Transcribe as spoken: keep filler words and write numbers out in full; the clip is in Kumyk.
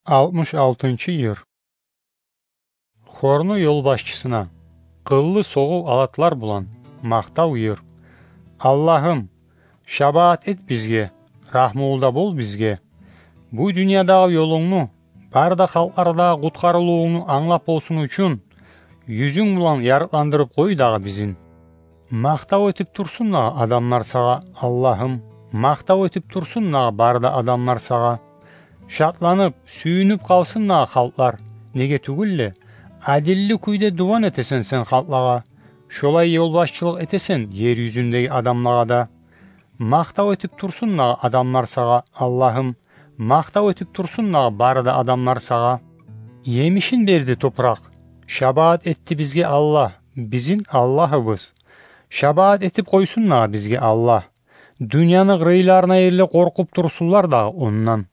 Алтмыш алтынчы йыр. Хорну ёлбашчысына къыллы согъув алатлар булан макътав йыр. Аллагьым, шабаат эт бизге, рагьмулу да бол бизге. Бу дюньядагъы ёлунгну, бары да халкълардагъы къутгъарылывунгну англап болсун учун, юзюнг булан ярыкъландырып къой дагъы бизин. Макътав этип турсун дагъы адамлар сагъа, Аллагьым, макътав этип турсун дагъы бары да адамлар сагъа. Шатланып, сююнюп къалсын дагъы халкълар. Неге тюгюл де, адилли кюйде дуван этесен сен халкълагъа. Шолай ёлбашчылыкъ этесен ер юзюндеги адамлагъа да. Макътав этип турсун дагъы адамлар сагъа, Аллагьым, макътав этип турсун дагъы бары да адамлар сагъа. Емишин берди топуракъ, шабаат этди бизге Аллагь, бизин Аллагьыбыз. Шабаат этип къойсун дагъы бизге Аллагь. Дюньяны къырыйларына ерли къоркъуп турсунлар дагъы ондан.